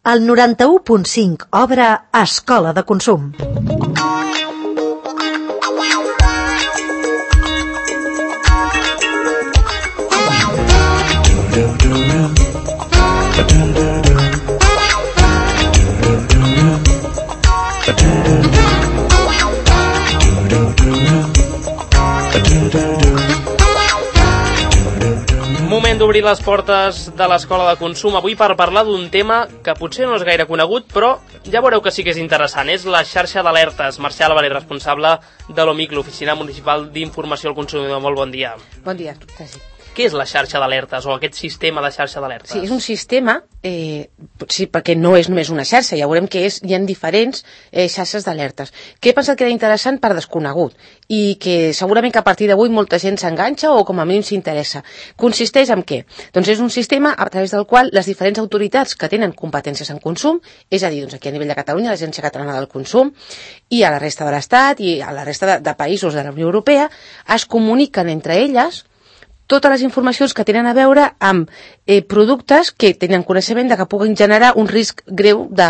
El 91.5 obre Escola de Consum. Moment d'obrir les portes de l'Escola de Consum avui per parlar d'un tema que potser no és gaire conegut, però ja veureu que sí que és interessant. És la xarxa d'alertes. Mercè Álvarez, responsable de l'OMIC, l'Oficina Municipal d'Informació al Consumidor. Molt bon dia. Bon dia, Sergi. Què és la xarxa d'alertes o aquest sistema de xarxa d'alertes? Sí, és un sistema, sí, perquè no és només una xarxa, ja veurem que hi ha diferents xarxes d'alertes. Que he pensat que era interessant per desconegut i que segurament que a partir d'avui molta gent s'enganxa o com a mínim s'interessa. Consisteix en què? Doncs és un sistema a través del qual les diferents autoritats que tenen competències en consum, és a dir, doncs aquí a nivell de Catalunya, l'Agència Catalana del Consum, i a la resta de l'Estat i a la resta de països de la Unió Europea, es comuniquen entre elles totes les informacions que tenen a veure amb productes que tenen coneixement de que puguin generar un risc greu de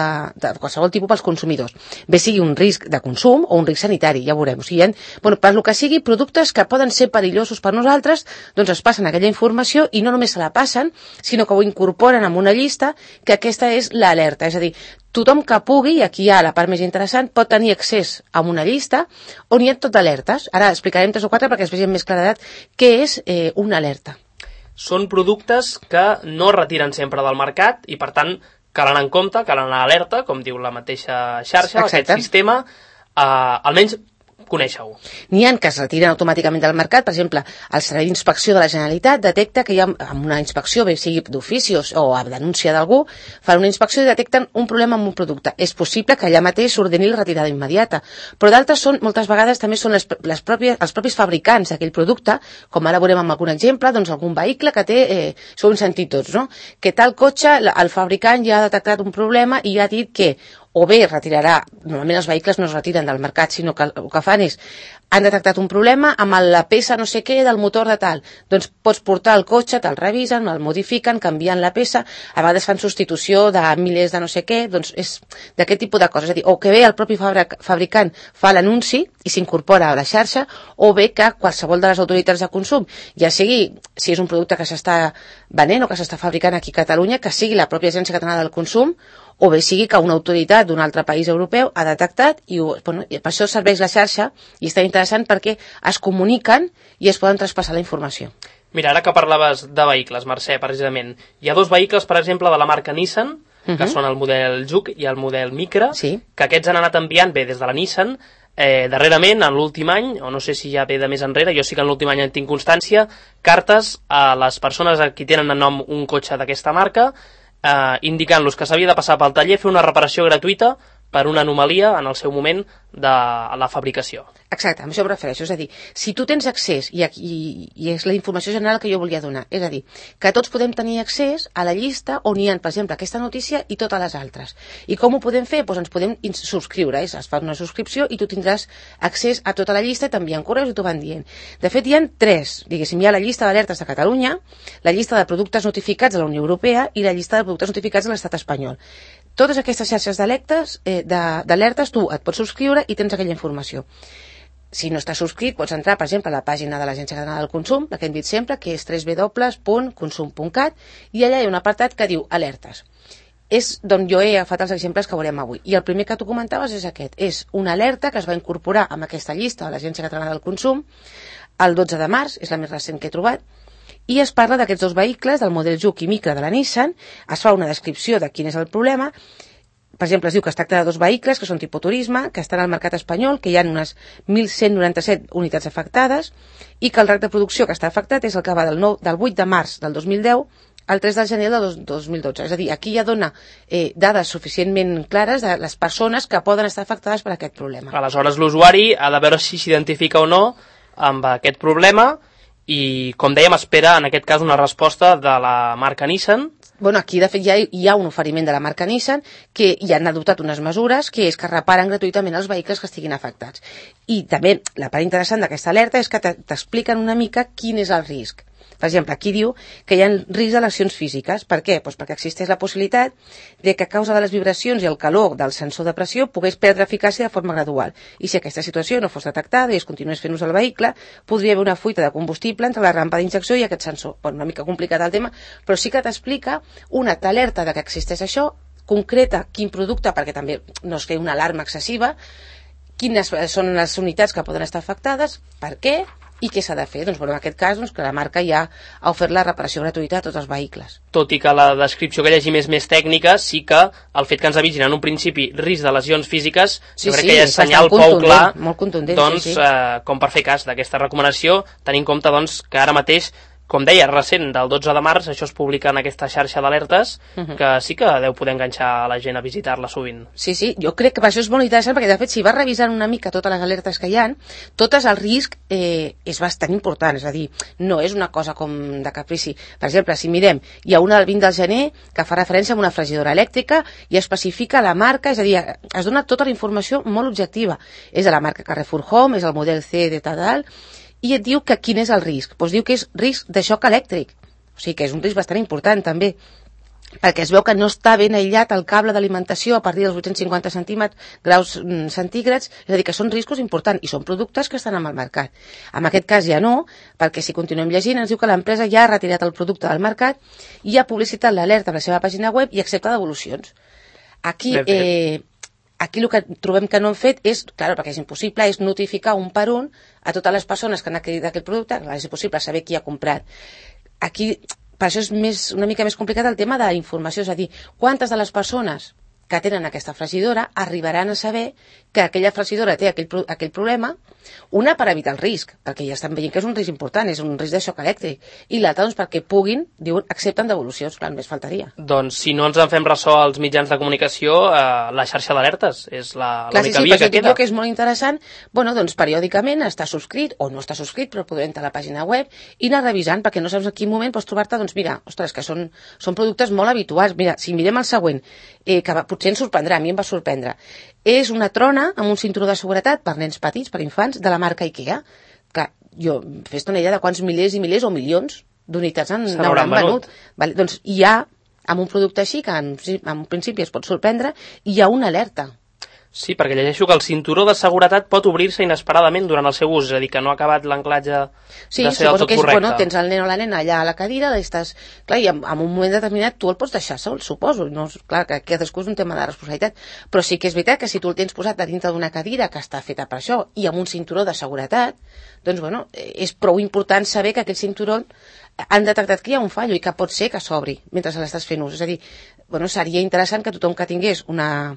qualsevol tipus pels consumidors. Bé sigui un risc de consum o un risc sanitari, ja veurem. O sigui, per lo que sigui, productes que poden ser perillosos per nosaltres, doncs es passen aquella informació i no només se la passen, sinó que ho incorporen en una llista, que aquesta és l'alerta. És a dir, tothom que pugui, i aquí hi ha la part més interessant, pot tenir accés a una llista on hi ha tot d'alertes. Ara explicarem 3 o 4 perquè es vegi amb més claredat què és una alerta. Són productes que no es retiren sempre del mercat i, per tant, cal anar en compte, cal anar alerta, com diu la mateixa xarxa, Exacte. Aquest sistema, almenys conèixer-ho. N'hi ha que es retiren automàticament del mercat. Per exemple, el Servei d'Inspecció de la Generalitat detecta que hi ha una inspecció, bé sigui d'oficis o a denúncia d'algú, fan una inspecció i detecten un problema amb un producte. És possible que allà mateix s'ordeni la retirada immediata, però d'altres són, moltes vegades també són els propis fabricants d'aquell producte, com ara veurem amb algun exemple, doncs algun vehicle que té, això ho hem sentit tots, no? Que tal cotxe, el fabricant ja ha detectat un problema i ja ha dit que o bé retirarà, normalment els vehicles no es retiren del mercat, sinó que el que fan és, han detectat un problema amb la peça no sé què del motor de tal, doncs pots portar el cotxe, te'l revisen, el modifiquen, canvien la peça, a vegades fan substitució de milers de no sé què, doncs és d'aquest tipus de coses, és a dir, o que bé el propi fabricant fa l'anunci i s'incorpora a la xarxa, o bé que qualsevol de les autoritats de consum, ja sigui, si és un producte que s'està venent o que s'està fabricant aquí a Catalunya, que sigui la pròpia Agència Catalana del Consum, o bé sigui que una autoritat d'un altre país europeu ha detectat i per això serveix la xarxa i està interessant perquè es comuniquen i es poden traspassar la informació. Mira, ara que parlaves de vehicles, Mercè, precisament, hi ha 2 vehicles, per exemple, de la marca Nissan, que són el model Juke i el model Micra, sí, que aquests han anat enviant, bé, des de la Nissan, darrerament, en l'últim any, o no sé si ja ve de més enrere, jo sí que en l'últim any en tinc constància, cartes a les persones a qui tenen en nom un cotxe d'aquesta marca, indicant-los que s'havia de passar pel taller, fer una reparació gratuïta per una anomalia en el seu moment de la fabricació. Exacte, a això em refereixo. És a dir, si tu tens accés, i és la informació general que jo volia donar, és a dir, que tots podem tenir accés a la llista on hi ha, per exemple, aquesta notícia i totes les altres. I com ho podem fer? Doncs ens podem subscriure, es fa una subscripció i tu tindràs accés a tota la llista i t'envien correus i t'ho van dient. De fet, hi ha 3, diguéssim, hi ha la llista d'alertes de Catalunya, la llista de productes notificats de la Unió Europea i la llista de productes notificats de l'Estat espanyol. Totes aquestes xarxes d'alertes tu et pots subscriure i tens aquella informació. Si no estàs subscrit, pots entrar, per exemple, a la pàgina de l'Agència Catalana del Consum, la que hem dit sempre, que és www.consum.cat, i allà hi ha un apartat que diu alertes. És d'on jo he agafat els exemples que veurem avui. I el primer que tu comentaves és aquest. És una alerta que es va incorporar amb aquesta llista de l'Agència Catalana del Consum el 12 de març, és la més recent que he trobat, i es parla d'aquests 2 vehicles, del model Juke i Micra de la Nissan, es fa una descripció de quin és el problema. Per exemple, es diu que es tracta de 2 vehicles que són tipus turisme, que estan al mercat espanyol, que hi ha unes 1.197 unitats afectades i que el rang de producció que està afectat és el que va del 8 de març del 2010 al 3 de gener del 2012. És a dir, aquí ja dona dades suficientment clares de les persones que poden estar afectades per aquest problema. Aleshores, l'usuari ha de veure si s'identifica o no amb aquest problema i, com dèiem, espera, en aquest cas, una resposta de la marca Nissan. Bueno, aquí, de fet, ja hi ha un oferiment de la marca Nissan que ja han adoptat unes mesures que és que reparen gratuïtament els vehicles que estiguin afectats. I també la part interessant d'aquesta alerta és que t'expliquen una mica quin és el risc. Per exemple, aquí diu que hi ha risc de lesions físiques. Per què? Doncs perquè existeix la possibilitat de que a causa de les vibracions i el calor del sensor de pressió pogués perdre eficàcia de forma gradual. I si aquesta situació no fos detectada i es continués fent ús del vehicle, podria haver una fuita de combustible entre la rampa d'injecció i aquest sensor. Una mica complicat el tema, però sí que t'explica t'alerta de que existeix això, concreta quin producte, perquè també no es cregui una alarma excessiva, quines són les unitats que poden estar afectades, per què i què s'ha de fer. Doncs, en aquest cas, que la marca ja ha ofert la reparació gratuïta a tots els vehicles. Tot i que la descripció que llegim és més tècnica, sí que el fet que ens avisin en un principi risc de lesions físiques, jo crec que ja és senyal prou clar, molt contundent, doncs, com per fer cas d'aquesta recomanació, tenint en compte doncs, que ara mateix, com deia, recent, del 12 de març, això es publica en aquesta xarxa d'alertes, que sí que deu poder enganxar la gent a visitar-la sovint. Sí, jo crec que per això és molt interessant, perquè de fet, si vas revisant una mica totes les alertes que hi ha, totes el risc és bastant important, és a dir, no és una cosa com de caprici. Per exemple, si mirem, hi ha una del 20 de gener que fa referència a una fregidora elèctrica i especifica la marca, és a dir, es dona tota la informació molt objectiva. És de la marca Carrefour Home, és el model C de tal, i et diu que quin és el risc. Doncs diu que és risc de xoc elèctric. O sigui que és un risc bastant important també, perquè es veu que no està ben aïllat el cable d'alimentació a partir dels 850 graus centígrads, és a dir, que són riscos importants i són productes que estan al mercat. En aquest cas ja no, perquè si continuem llegint ens diu que l'empresa ja ha retirat el producte del mercat i ha publicitat l'alerta a la seva pàgina web i accepta devolucions. Aquí el que trobem que no han fet és, clar, perquè és impossible, és notificar un per un a totes les persones que han adquirit aquest producte, és impossible saber qui ha comprat. Aquí, per això és una mica més complicat el tema de la informació, és a dir, quantes de les persones que tenen aquesta fregidora arribaran a saber que aquella fregidora té aquell problema, una per evitar el risc, perquè ja estan veient que és un risc important, és un risc de xoc elèctric, i l'altra doncs perquè puguin, diuen, accepten devolucions, clar, només faltaria. Doncs si no ens en fem ressò als mitjans de comunicació, la xarxa d'alertes és l'única via que queda. Clar, que és molt interessant, doncs periòdicament està subscrit, o no està subscrit, però podeu entrar a la pàgina web i anar revisant, perquè no saps en quin moment pots trobar-te, doncs mira, ostres, que són productes molt habituals. Mira, si mirem el següent, que potser ens sorprendrà, a mi em va sorprendre, és una trona amb un cinturó de seguretat per nens petits, per infants, de la marca IKEA, que jo fes una idea de quants milers i milers o milions d'unitats n'hauran venut. Vale, doncs hi ha, amb un producte així, que en principi es pot sorprendre, hi ha una alerta. Sí, perquè llegeixo que el cinturó de seguretat pot obrir-se inesperadament durant el seu ús, és a dir, que no ha acabat l'anclatge de ser del tot correcte. Tens el nen o la nena allà a la cadira, clar, i en un moment determinat tu el pots deixar sol, suposo. No, clar, que cadascú és un tema de responsabilitat, però sí que és veritat que si tu el tens posat a dintre d'una cadira que està feta per això i amb un cinturó de seguretat, doncs, és prou important saber que aquest cinturó han detectat que hi ha un fallo i que pot ser que s'obri mentre se l'estàs fent ús. És a dir, seria interessant que tothom que tingués una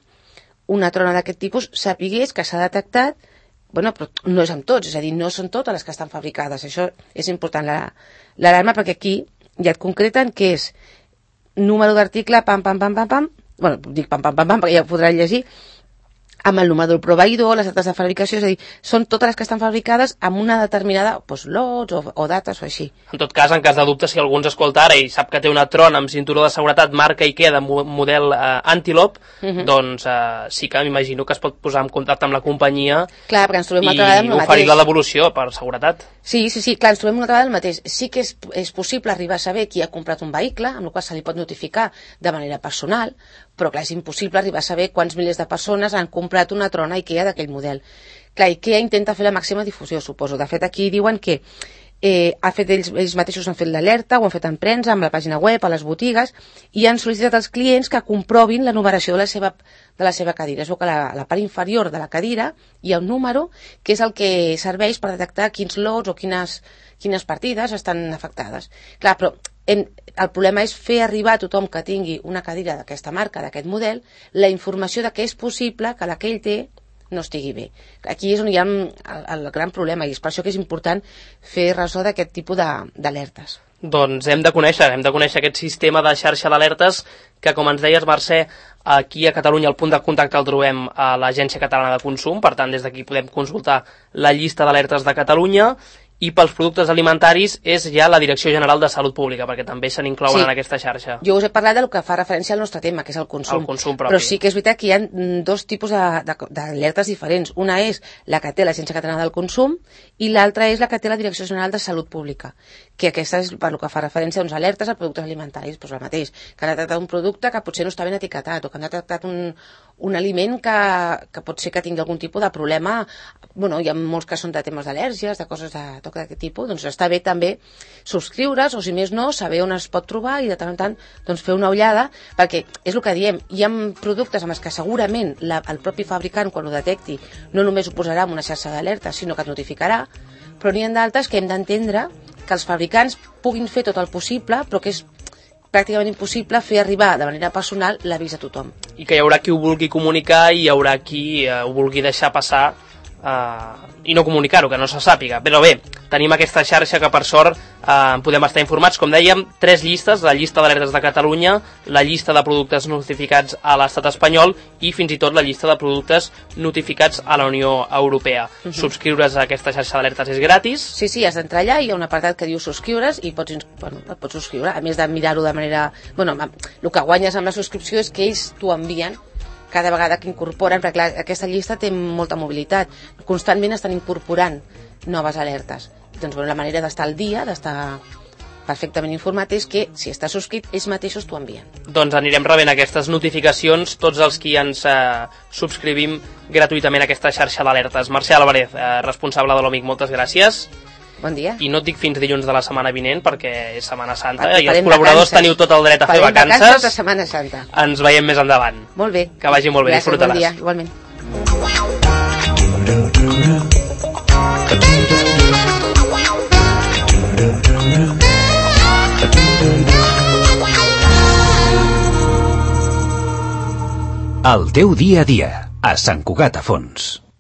trona d'aquest tipus sapigués que s'ha detectat, però no és amb tots, és a dir, no són totes les que estan fabricades. Això és important, l'alarma, perquè aquí ja et concreten que és número d'article, pam, dic pam, perquè ja ho podran llegir, amb el número del proveïdor, les dates de fabricació, és a dir, són totes les que estan fabricades amb una determinada lots o dates o així. En tot cas, en cas de dubte, si algú ens escolta ara i sap que té una trona amb cinturó de seguretat marca IKEA de model Antelope, doncs sí que m'imagino que es pot posar en contacte amb la companyia. Clar, perquè ens trobem una altra vegada amb el mateix. I oferir la devolució per seguretat. Sí, clar, ens trobem una altra vegada el mateix. Sí que és possible arribar a saber qui ha comprat un vehicle, amb el qual se li pot notificar de manera personal, però clar, és impossible arribar a saber quants milers de persones han comprat una trona IKEA d'aquell model. Clar, IKEA intenta fer la màxima difusió, suposo. De fet, aquí diuen que ells mateixos han fet l'alerta, ho han fet en premsa, amb la pàgina web, a les botigues, i han sol·licitat als clients que comprovin la numeració de la seva cadira. Es veu que a la part inferior de la cadira hi ha un número que és el que serveix per detectar quins lots o quines partides estan afectades. Clar, però el problema és fer arribar a tothom que tingui una cadira d'aquesta marca, d'aquest model, la informació de que és possible que la que ell té no estigui bé. Aquí és on hi ha el gran problema, i és per això que és important fer ressò d'aquest tipus d'alertes. Doncs hem de conèixer aquest sistema de xarxa d'alertes que, com ens deies, Mercè, aquí a Catalunya el punt de contacte el trobem a l'Agència Catalana de Consum, per tant des d'aquí podem consultar la llista d'alertes de Catalunya, i pels productes alimentaris és ja la Direcció General de Salut Pública, perquè també se n'inclouen en aquesta xarxa. Jo us he parlat del que fa referència al nostre tema, que és el consum. El consum propi. Però sí que és veritat que hi ha dos tipus d'alertes diferents. Una és la que té l'Agència Catalana del Consum i l'altra és la que té la Direcció General de Salut Pública, que aquesta és per el que fa referència a uns alertes a productes alimentaris, doncs el mateix, que han detectat un producte que potser no està ben etiquetat o que han detectat un aliment que pot ser que tingui algun tipus de problema. Bueno, hi ha molts que són de temes d'al·lèrgies, de coses d'aquest tipus, doncs està bé també subscriure's, o si més no, saber on es pot trobar i de tant en tant doncs, fer una ullada, perquè és el que diem, hi ha productes amb els que segurament el propi fabricant, quan ho detecti, no només ho posarà en una xarxa d'alerta, sinó que et notificarà, però n'hi ha d'altres que hem d'entendre que els fabricants puguin fer tot el possible, però que és pràcticament impossible fer arribar de manera personal l'avís a tothom. I que hi haurà qui ho vulgui comunicar i hi haurà qui ho vulgui deixar passar i no comunicar-ho, que no se sàpiga. Però bé, tenim aquesta xarxa que per sort podem estar informats. Com dèiem, 3 llistes, la llista d'alertes de Catalunya, la llista de productes notificats a l'estat espanyol i fins i tot la llista de productes notificats a la Unió Europea. Subscriure's a aquesta xarxa d'alertes és gratis. Sí, has d'entrar allà, hi ha un apartat que diu subscriure's i et pots subscriure, a més de mirar-ho de manera... Bueno, el que guanyes amb la subscripció és que ells t'ho envien cada vegada que incorporen, perquè clar, aquesta llista té molta mobilitat, constantment estan incorporant noves alertes. Doncs la manera d'estar al dia, d'estar perfectament informat, és que si estàs subscrit, ells mateixos t'ho envien. Doncs anirem rebent aquestes notificacions tots els qui ens subscrivim gratuïtament a aquesta xarxa d'alertes. Mercè Álvarez, responsable de l'OMIC, moltes gràcies. Bon dia. I no et dic fins dilluns de la setmana vinent perquè és Setmana Santa i els col·laboradors teniu tot el dret a fer vacances. Farem vacances de Setmana Santa. Ens veiem més endavant. Molt bé. Que vagi molt bé, disfrutaràs. Bon dia, igualment. El teu dia a dia, a Sant Cugat a Fons.